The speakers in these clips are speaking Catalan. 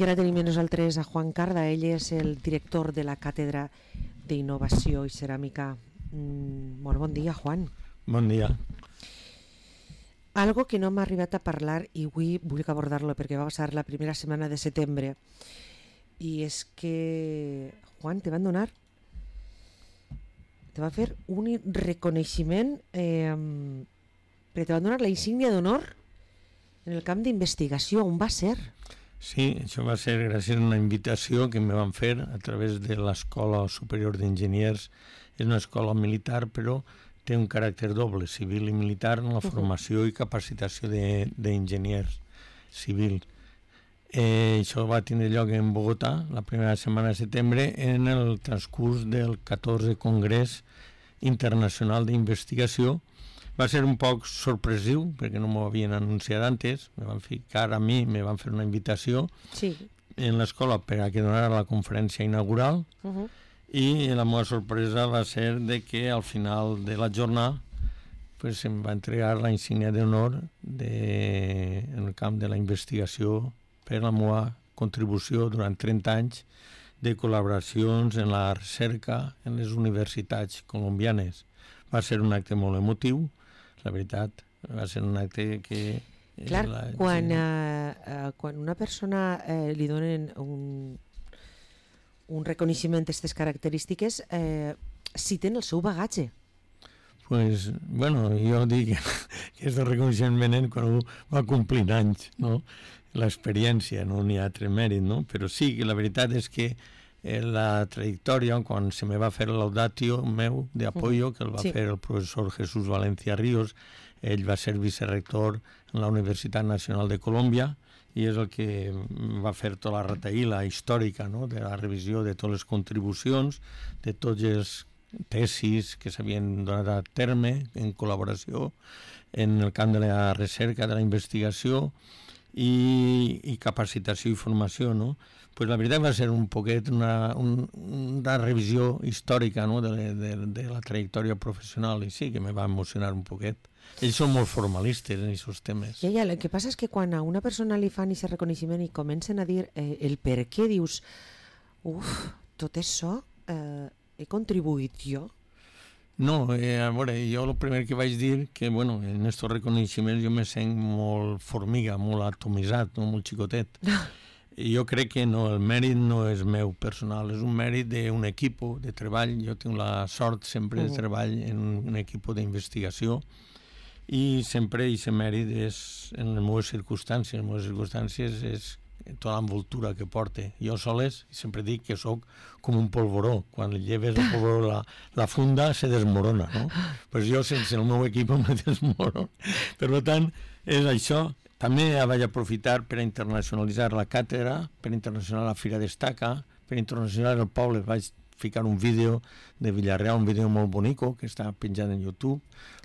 I ara tenim amb nosaltres a Juan Carda, ell és el director de la Càtedra d'Innovació i Ceràmica. Molt bon dia, Juan. Bon dia. Algo que no m'ha arribat a parlar i avui vull abordar-lo perquè va passar la primera setmana de setembre, i és que, Juan, te van fer un reconeixement perquè te van donar la insígnia d'honor en el camp d'investigació. On va ser? Sí, això va ser gràcies a una invitació que me van fer a través de l'Escola Superior d'Enginyers. És una escola militar, però té un caràcter doble, civil i militar, en la formació i capacitació d'enginyers civils. Això va tindre lloc en Bogotà la primera setmana de setembre en el transcurs del 14è Congrés Internacional d'Investigació. Va ser un poc sorpresiu perquè no m'ho havien anunciat antes, me van ficar a mi, me van fer una invitació en l'escola per a que donara la conferència inaugural. I la meva sorpresa va ser de que al final de la jornada pues, em va entregar la insígnia d'honor en el camp de la investigació per la meva contribució durant 30 anys de col·laboracions en la recerca en les universitats colombianes. Va ser un acte molt emotiu, la veritat, va ser un acte que... Clar, quan una persona li donen un reconeixement d'aquestes característiques, citen el seu bagatge. Pues, bueno, jo dic que és el reconeixement venent quan va complir anys, no? L'experiència, no n'hi ha altre mèrit, no? Però sí, que la veritat és que la trajectòria, quan se me va fer l'audatio meu d'apoyo, que el va fer el professor Jesús Valencia Ríos, ell va ser vicerector en la Universitat Nacional de Colòmbia, i és el que va fer tota la retaïla històrica, no? De la revisió de totes les contribucions, de tots els tesis que s'havien donat a terme en col·laboració en el camp de la recerca, de la investigació i capacitació i formació, no? Pues la veritat va ser un poquet una revisió històrica, no? de la trajectòria professional, i sí que me va emocionar un poquet. Ells són molt formalistes en aquests temes. Ja, el que passa és que quan a una persona li fan aquest reconeixement i comencen a dir el per què, dius, tot això he contribuït jo? No, a veure, jo el primer que vaig dir que, bueno, en aquests reconeixements jo me sent molt formiga, molt atomitzat, no? Molt xicotet. I jo crec que no, el mèrit no és meu personal, és un mèrit d'un equip de treball. Jo tinc la sort sempre de treball en un equip d'investigació i sempre aquest mèrit és en les meves circumstàncies. Les meves circumstàncies és tota l'envoltura que porte. Jo soles sempre dic que sóc com un polvoró. Quan lleves el polvoró la funda se desmorona, no? Pues jo sense el meu equip me desmorono. Per tant, és això. També vaig aprofitar per a internacionalitzar la càtedra, per a internacionalitzar la Fira Destaca, per a internacionalitzar el poble. Vaig ficar un vídeo de Villarreal, un vídeo molt bonico que està penjat en YouTube,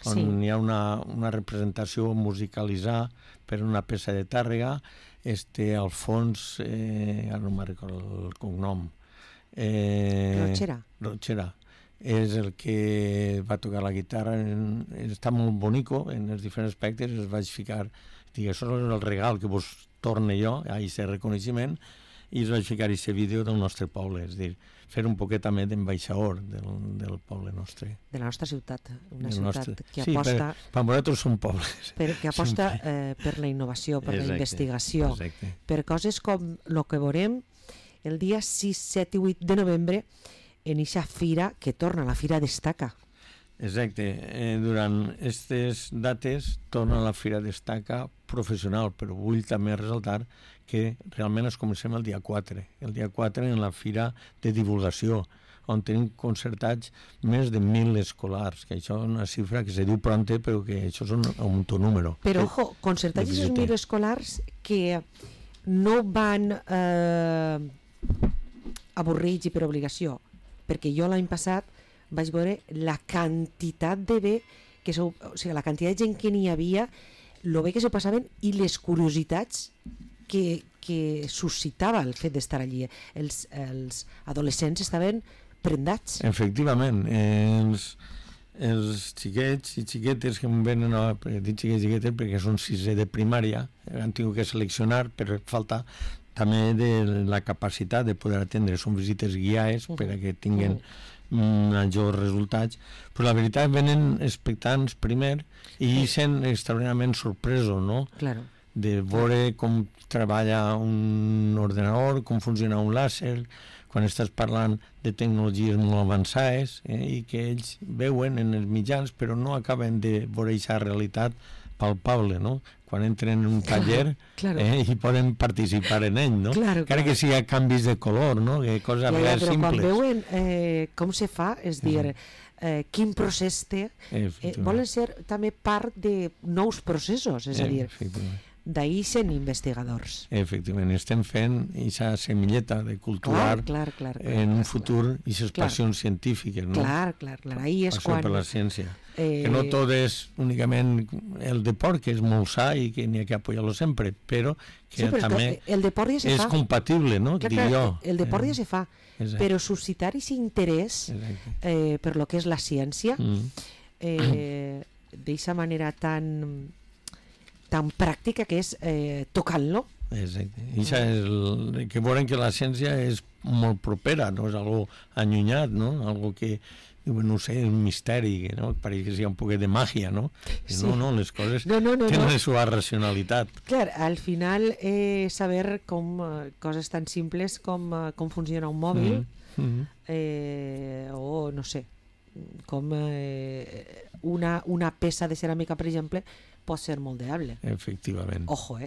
on hi ha una representació musicalitzada per una peça de Tàrrega. Al fons, ara no me'n recordo el cognom, Rochera és el que va tocar la guitarra. Està molt bonico en els diferents aspectes. Es vaig ficar, dic, això és el regal que vos torne jo a aquest reconeixement, i es vaig ficar aquest vídeo del nostre poble, és a dir, fer un poquet també d'ambaixador del poble nostre. De la nostra ciutat, una ciutat que aposta... Sí, per vosaltres són pobles. Que aposta per la innovació, per la investigació, per coses com el que veurem el dia 6, 7 i 8 de novembre en aquesta fira que torna, la Fira Destaca. Exacte, durant aquestes dates torna la Fira Destaca professional, però vull també ressaltar que realment es comencem el dia 4. El dia 4 en la Fira de Divulgació, on tenim concertats més de 1.000 escolars, que això és una xifra que se diu pronte, però que això és un número. Però, ojo, concertats de 1.000 escolars que no van avorrits i per obligació, perquè jo l'any passat vaig veure la quantitat de bé la quantitat de gent que n'hi havia, el bé que se passaven i les curiositats que suscitava el fet d'estar allí. Els adolescents estaven prendats. Efectivament, els xiquets i xiquetes que em venen, dic xiquets i xiquetes perquè són 6è de primària, han tingut que seleccionar per falta també de la capacitat de poder atendre. Són visites guiades per a que tinguin majors resultats, però la veritat venen expectants primer i sent extraordinàriament sorpresos, no? Claro. De veure com treballa un ordenador, com funciona un làser, quan estàs parlant de tecnologies molt avançades i que ells veuen en els mitjans però no acaben de veure aquesta realitat palpable, no? Quan entren en un taller i poden participar en ell, no? Encara que sigui canvis de color, no? Coses reals simples. Quan veuen com se fa, és dir, quin procés té, volen ser també part de nous processos, és a dir, d'ahir sent investigadors. Efectivament, estem fent aquesta semilleta de culturar en un futur aquestes passions científiques, no? Clar, ahir és quan... Passió per la ciència. Que no tot és únicament el deport, que és molt sa i que n'hi ha que apoyar-lo sempre, però que també és compatible, no? El deport ja se fa, però suscitar aquest interès per lo que és la ciència d'aquesta manera tan pràctica que és tocant-lo. Exacte. I que veuen que la ciència és molt propera, no és algo allunyat, no? Algo que, no sé, un misteri, no? Pareix que sigui un poquet de màgia, no? No, les coses tenen la seva racionalitat. Clar, al final saber coses tan simples com funciona un mòbil o, no sé, com una peça de ceràmica, per exemple, pot ser moldeable. Efectivament. Ojo,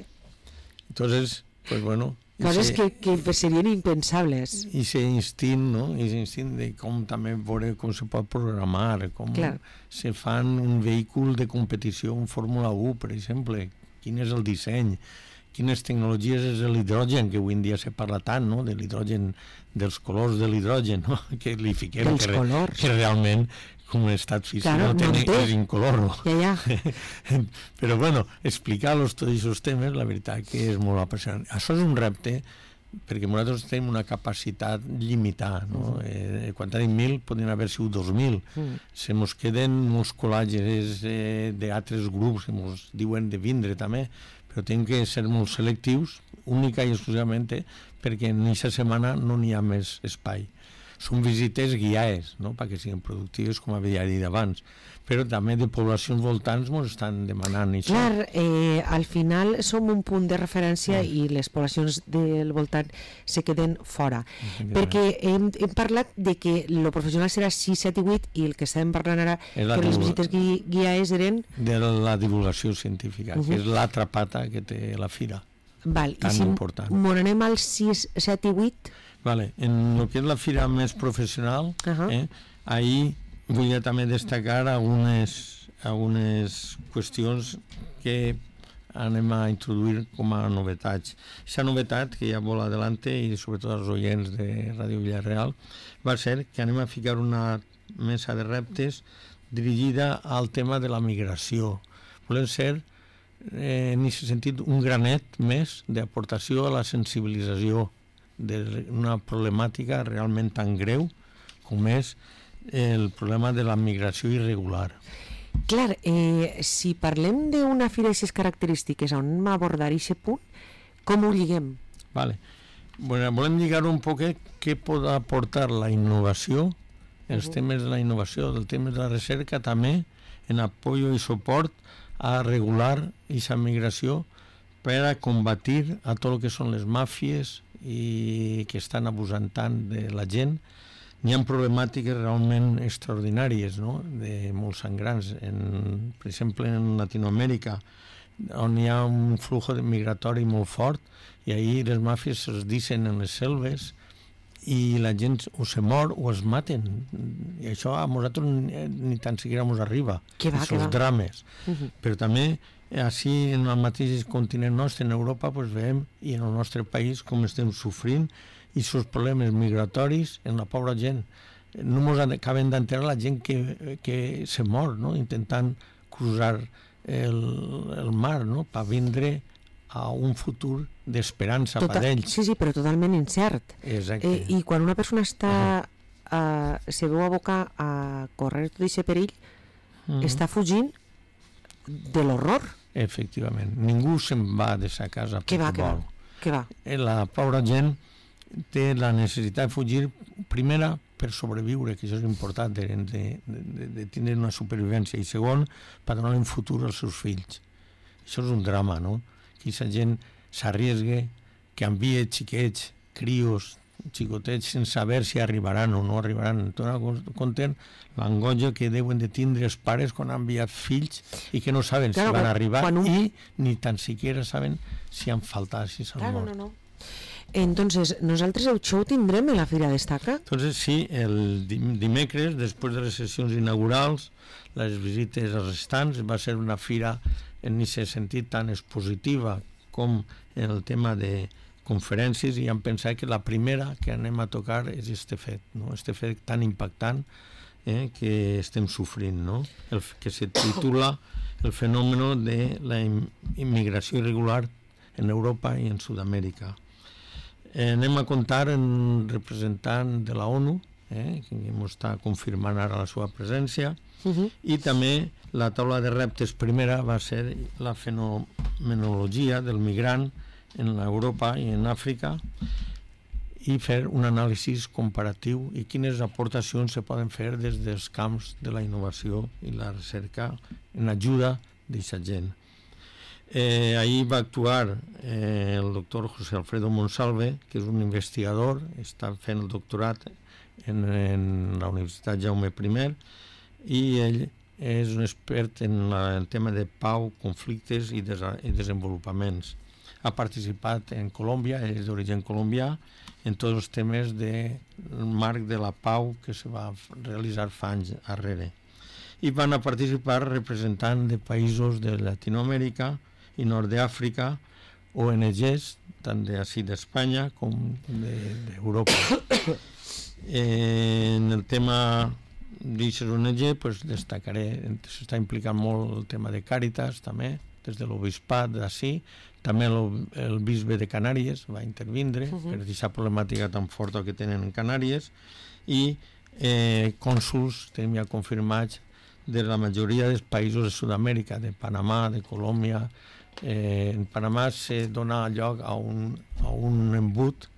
Entonces, pues bueno... Coses que serien impensables. I ese instint, no? Ese instint de com també veure com se pot programar, com se fan un vehícul de competició, un Fórmula 1, per exemple, quin és el disseny, quines tecnologies és l'hidrogen, que avui en dia se parla tant, no?, de l'hidrogen, dels colors de l'hidrogen, no?, que li fiquem, que realment com un estat físic no és incolor, no? Però bueno, explicar-los tots aquests temes, la veritat que és molt apassionant. Això és un repte, perquè nosaltres tenim una capacitat limitada, no? Quan tenim 1.000 podrien haver sigut 2.000. Se mos queden molts col·làgens d'altres grups que mos diuen de vindre també, però tenim que ser molt selectius, única i exclusivament perquè en aquesta setmana no n'hi ha més espai. Són visites guiades, no?, perquè siguin productives, com havia dit abans, però també de poblacions voltants ens estan demanant això. Clar, al final som un punt de referència i les poblacions del voltant se queden fora, perquè hem parlat de que el professional serà 6, 7 i 8 i el que estem parlant ara, que les visites guiades eren... De la divulgació científica, que és l'altra pata que té la fira, tan important. I si anem al 6, 7 i 8... Vale. En el que és la fira més professional, ahir vull també destacar algunes qüestions que anem a introduir com a novetats. Aquesta novetat, que ja vol adelante, i sobretot els oients de Ràdio Villarreal, va ser que anem a ficar una mesa de reptes dirigida al tema de la migració. Volem ser, en aquest sentit, un granet més d'aportació a la sensibilització d'una problemàtica realment tan greu com és el problema de la migració irregular. Clar, si parlem d'una fira d'aquestes característiques on anem a abordar aquest punt, com ho lliguem? Vale. Bueno, volem lligar un poquet què pot aportar la innovació, els temes de la innovació, els temes de la recerca, també en apoyo i suport a regular aquesta migració per a combatir a tot el que són les màfies i que estan abusant tant de la gent. N'hi ha problemàtiques realment extraordinàries, no?, de molt sangrants. Per exemple, en Latinoamèrica, on hi ha un flux migratori molt fort, i ahir les màfies es dicen en les selves i la gent o se mor o es maten. I això a nosaltres ni tan siquiera ens arriba, aquests drames. Però també així en el mateix continent nostre, en Europa, veiem, i en el nostre país, com estem sofrint i els problemes migratoris en la pobra gent. No ens acaben d'entendre la gent que se mor, no?, intentant cruzar el mar, no?, per vindre a un futur d'esperança per ells. Sí, però totalment incert. Exacte. I quan una persona se veu abocar a córrer tot aquest perill, està fugint de l'horror. Efectivament. Ningú se'n va de sa casa perquè vol. Què va? La pobra gent té la necessitat de fugir, primera, per sobreviure, que això és important, de tenir una supervivència, i segon, per donar un futur als seus fills. Això és un drama, no? Que aquesta gent s'arriesgue, que envia xiquets, crios, xicotets, sense saber si arribaran o no arribaran. Compten l'angoixa que deuen de tindre els pares quan han enviat fills i que no saben si van arribar i ni tan siquiera saben si han faltat, si s'han mort. No. Entonces, nosaltres això ho tindrem en la Fira Destaca? Entonces, sí, el dimecres, després de les sessions inaugurals, les visites als restants, va ser una fira en aquest sentit tan expositiva com en el tema de conferències, i hem pensat que la primera que anem a tocar és este fet, no? Este fet tan impactant que estem sofrint, no? Que se titula el fenòmeno de la immigració irregular en Europa i en Sud-amèrica. Anem a comptar en un representant de la ONU, que m'està confirmant ara la seva presència, i també la taula de reptes primera va ser la fenomenologia del migrant en Europa i en Àfrica, i fer un anàlisi comparatiu i quines aportacions se poden fer des dels camps de la innovació i la recerca en ajuda d'aquesta gent. Ahir va actuar el doctor José Alfredo Monsalve, que és un investigador, està fent el doctorat en la Universitat Jaume I, i ell és un expert en el tema de pau, conflictes i desenvolupaments. Ha participat en Colòmbia, és d'origen colombià, en tots els temes del marc de la pau que se va realitzar fa anys darrere. I van a participar representant de països de Llatinoamèrica i nord d'Àfrica, ONGs, tant d'ací d'Espanya com d'Europa. En el tema d'aquestes ONG, destacaré, s'està implicant molt el tema de Càritas, també, des de l'Obispat d'ací, també el bisbe de Canàries va intervindre per aquesta problemàtica tan forta que tenen en Canàries, i cònsuls tenim ja confirmats de la majoria dels països de Sud-amèrica, de Panamà, de Colòmbia. En Panamà se dona lloc a un embut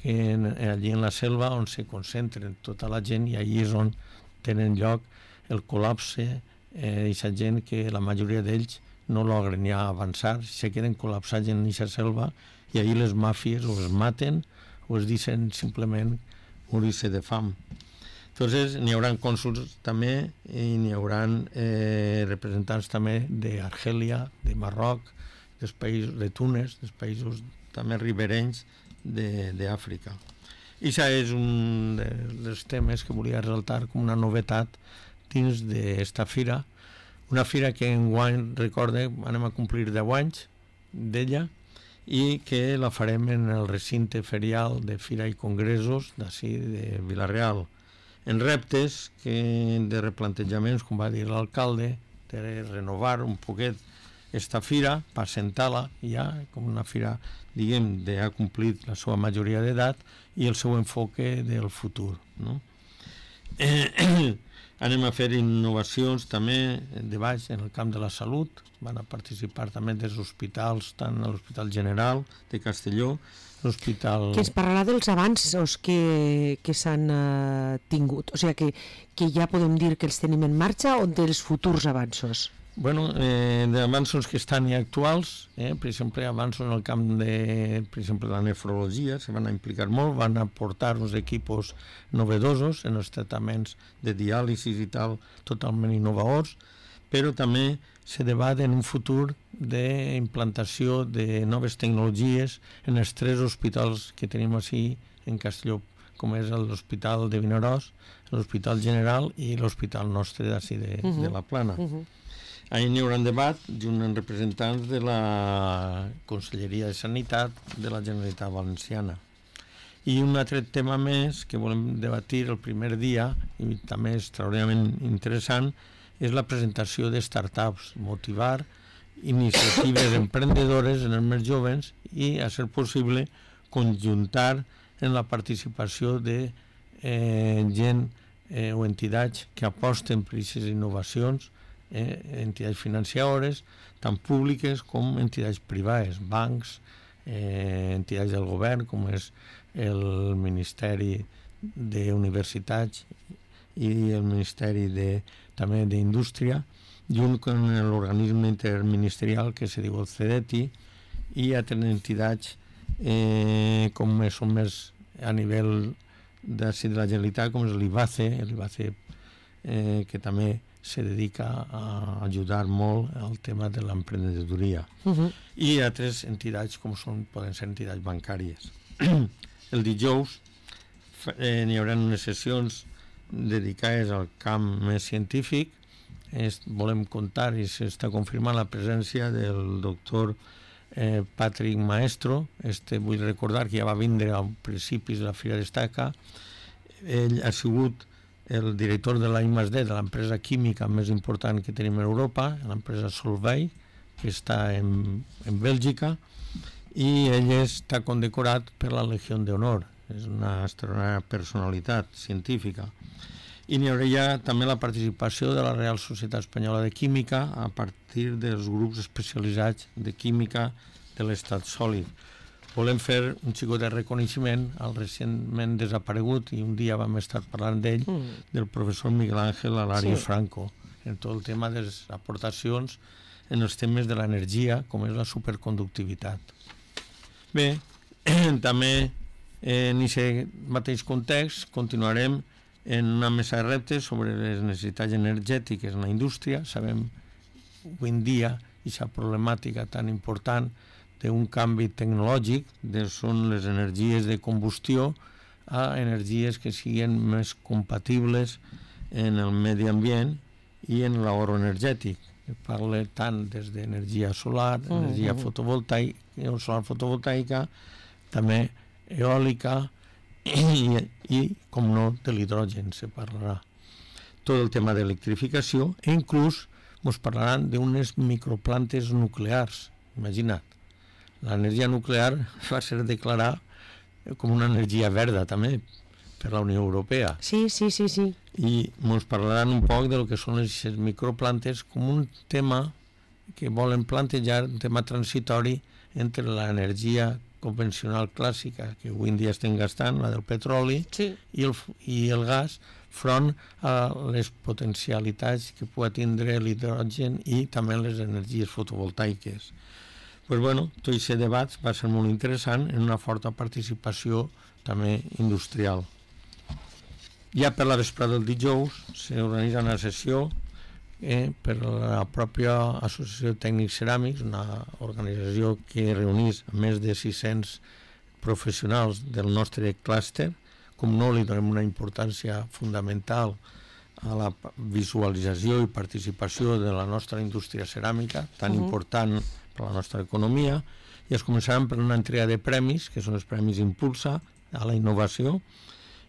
allí en la selva on se concentren tota la gent, i allí és on tenen lloc el col·lapse d'aquesta gent, que la majoria d'ells no logren ja avançar, se queden col·lapsats en aquesta selva, i allí les màfies o es maten o es deixen simplement morir-se de fam. Entonces, n'hi haurà cònsuls també, i n'hi haurà representants també d'Argèlia, de Marroc, dels països de Túnez, dels països també riberenys d'Àfrica. I això és un dels temes que volia resaltar com una novetat dins d'esta fira, una fira que enguany, recorde, anem a complir 10 anys d'ella, i que la farem en el recinte ferial de Fira i Congressos d'ací de Vila-real, en reptes de replantejaments, com va dir l'alcalde, de renovar un poquet esta fira, per assentar-la ja com una fira, diguem, ha complit la seva majoria d'edat i el seu enfoque del futur, no? Anem a fer innovacions també de baix en el camp de la salut. Van a participar també dels hospitals, tant l'Hospital General de Castelló, l'Hospital... Que ens parlarà dels avanços que s'han tingut, o sigui que ja podem dir que els tenim en marxa, o dels futurs avanços? Bueno, d'avanços que estan ja actuals, per exemple, avanços en el camp de, per exemple, la nefrologia, se van a implicar molt, van a portar uns equipos novedosos en els tractaments de diàlisis i tal, totalment innovadors, però també se debat en un futur d'implantació de noves tecnologies en els 3 hospitals que tenim així en Castelló, com és l'Hospital de Vinaròs, l'Hospital General i l'Hospital nostre d'ací de la Plana. Ahir n'hi haurà un debat junt amb representants de la Conselleria de Sanitat de la Generalitat Valenciana. I un altre tema més que volem debatir el primer dia, i també és extraordinàriament interessant, és la presentació de startups, motivar iniciatives emprenedores en els més joves i, a ser possible, conjuntar en la participació de gent o entitats que aposten per aquestes innovacions, entitats financeres, tant públiques com entitats privades, bancs, entitats del govern, com és el Ministeri d'Universitats i el Ministeri també d'Indústria, junt amb l'organisme interministerial que se diu el CEDETI, i altres entitats com són més a nivell de la Generalitat, com és l'IBACE, que també se dedica a ajudar molt al tema de l'emprenedoria. I altres entitats com poden ser entitats bancàries. El dijous hi haurà unes sessions dedicades al camp més científic. Volem comptar i s'està confirmant la presència del doctor Patrick Maestro. Vull recordar que ja va vindre a principis de la Fira d'Estaca. Ell ha sigut el director de la I+D, de l'empresa química més important que tenim a Europa, l'empresa Solvay, que està en Bèlgica, i ell està condecorat per la Legió d'Honor. És una extraordinària personalitat científica. I n'hi haurà també la participació de la Real Societat Espanyola de Química a partir dels grups especialitzats de química de l'estat sòlid. Volem fer un xicot de reconeixement al recentment desaparegut, i un dia vam estar parlant d'ell, del professor Miguel Ángel Alario Franco, en tot el tema de les aportacions en els temes de l'energia, com és la superconductivitat. Bé, també en aquest mateix context continuarem en una mesa de reptes sobre les necessitats energètiques en la indústria. Sabem avui en dia aquesta problemàtica tan important d'un canvi tecnològic, són les energies de combustió a energies que siguin més compatibles en el medi ambient i en l'ahorro energètic. Parla tant des d'energia solar, energia fotovoltaica, també eòlica i, com no, de l'hidrogen se parlarà. Tot el tema d'electrificació, i inclús ens parlaran d'unes microplantes nuclears. Imagina't, l'energia nuclear va ser declarada com una energia verda també per la Unió Europea. Sí. I ens parlaran un poc del que són les microplantes com un tema que volen plantejar, un tema transitori entre l'energia convencional clàssica que avui en dia estem gastant, la del petroli, i el gas, front a les potencialitats que pugui tindre l'hidrogen i també les energies fotovoltaiques. Tot aquest debat va ser molt interessant, en una forta participació també industrial. Ja per la vesprada del dijous s'organitza una sessió per la pròpia Associació de Tècnics Ceràmics, una organització que reuneix més de 600 professionals del nostre clúster. Com no, li donem una importància fundamental a la visualització i participació de la nostra indústria ceràmica, tan important per a la nostra economia, i es començaran per una entrega de premis, que són els Premis Impulsa a la innovació,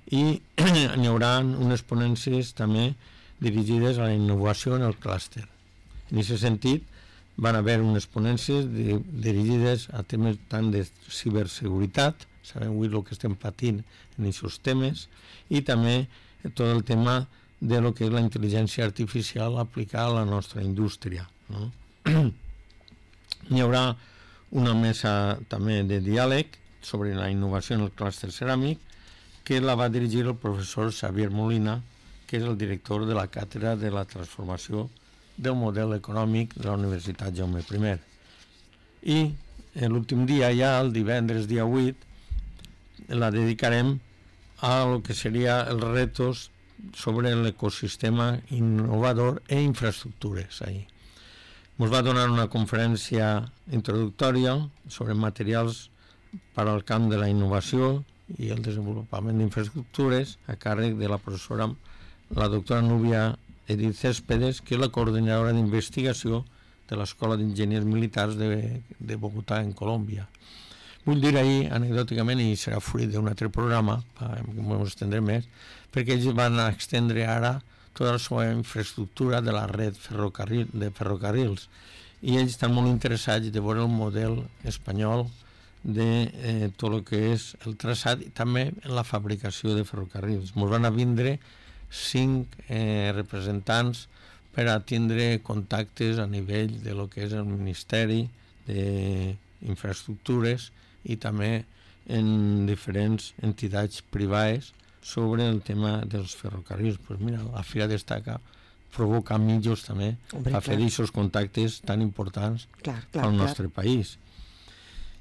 i n'hi haurà unes ponències també dirigides a la innovació en el clúster. En aquest sentit, van haver unes ponències dirigides a temes tant de ciberseguretat, sabem avui el que estem patint en aquests temes, i també tot el tema de lo que és la intel·ligència artificial aplicada a la nostra indústria. Hi haurà una mesa també de diàleg sobre la innovació en el clúster ceràmic, que la va dirigir el professor Xavier Molina, que és el director de la càtedra de la transformació del model econòmic de la Universitat Jaume I. I l'últim dia, ja el divendres dia 8, la dedicarem a lo que seria els retos sobre l'ecosistema innovador i infraestructures. Ens va donar una conferència introductòria sobre materials per al camp de la innovació i el desenvolupament d'infraestructures a càrrec de la professora, la doctora Núbia Edith Céspedes, que és la coordinadora d'investigació de l'Escola d'Enginyers Militars de Bogotà, en Colòmbia. Vull dir ahir, anecdòticament, i serà fruit d'un altre programa, que m'ho estendré més, perquè ells van extendre ara tota la seva infraestructura de la red de ferrocarrils, i ells estan molt interessats de veure el model espanyol de tot el que és el traçat i també la fabricació de ferrocarrils. Ens van a vindre 5 representants per a tindre contactes a nivell de lo que és el Ministeri d'Infraestructures i també en diferents entitats privades sobre el tema dels ferrocarrils. Pues mira, la Fira Destaca provoca mitjos també a fer aquests contactes tan importants al nostre país.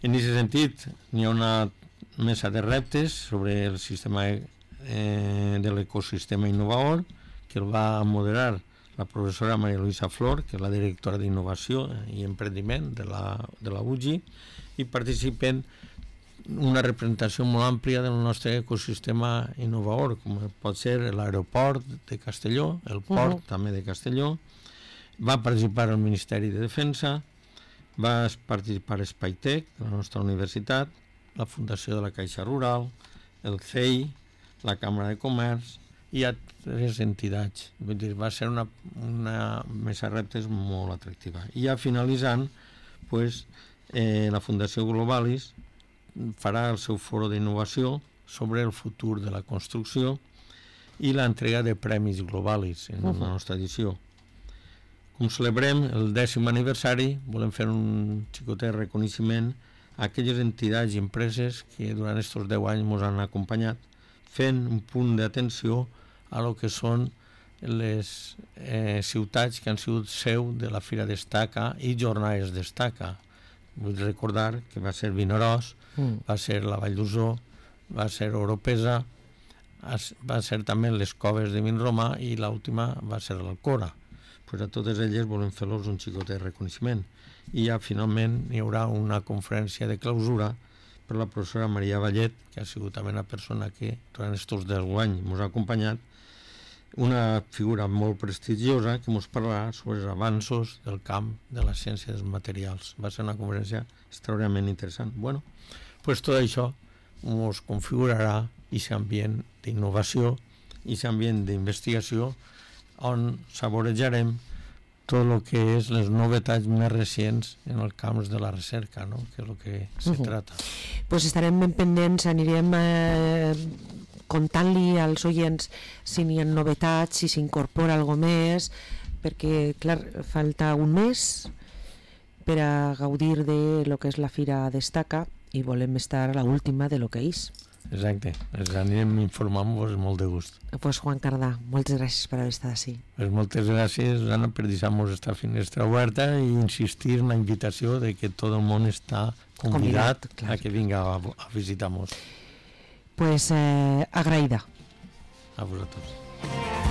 En aquest sentit, n'hi ha una mesa de reptes sobre el sistema de l'ecosistema innovador que el va moderar la professora Maria Luisa Flor, que és la directora d'Innovació i Emprendiment de la UGI, i participen una representació molt àmplia del nostre ecosistema innovador, com pot ser l'aeroport de Castelló, el port també de Castelló. Va participar el Ministeri de Defensa, va participar Spytec, de la nostra universitat, la Fundació de la Caixa Rural, el CEI, la Càmera de Comerç i altres entitats. Vull dir, va ser una mesa de reptes molt atractiva. I ja finalitzant, la Fundació Globalis farà el seu foro d'innovació sobre el futur de la construcció i l'entrega de premis Globalis en la nostra edició. Com celebrem el 10è aniversari, volem fer un xicotet reconeixement a aquelles entitats i empreses que durant aquests 10 anys ens han acompanyat, fent un punt d'atenció a lo que són les ciutats que han sigut seu de la Fira Destaca i Jornades Destaca. Vull recordar que va ser Vinaròs, va ser la Vall d'Uso, va ser Oropesa, va ser també les Coves de Vinromà i l'última va ser l'Alcora. A totes elles volem fer-los un xicotet reconeixement. I ja finalment hi haurà una conferència de clausura per la professora Maria Vallet, que ha sigut també una persona que durant aquests 10 anys ens ha acompanyat, una figura molt prestigiosa que ens parlarà sobre els avanços del camp de la ciència dels materials. Va ser una conferència extraordinàriament interessant. Bueno, tot això ens configurarà aquest ambient d'innovació i aquest ambient d'investigació on saborejarem tot el que és les novetats més recents en el camp de la recerca, no? Que és el que se trata. Pues estarem ben pendents, anirem contant-li als oients si n'hi ha novetats, si s'incorpora alguna més, perquè, clar, falta un mes per a gaudir de lo que és la Fira Destaca i volem estar a l'última de lo que és. Exacte, ens anirem informant-vos molt de gust. Pues Juan Cardà, moltes gràcies per haver estat així. Pues moltes gràcies, Anna, per deixar-nos esta finestra oberta i insistir en la invitació de que tot el món està convidat a que vinga a visitar-nos. Pues agraïda. A vosaltres.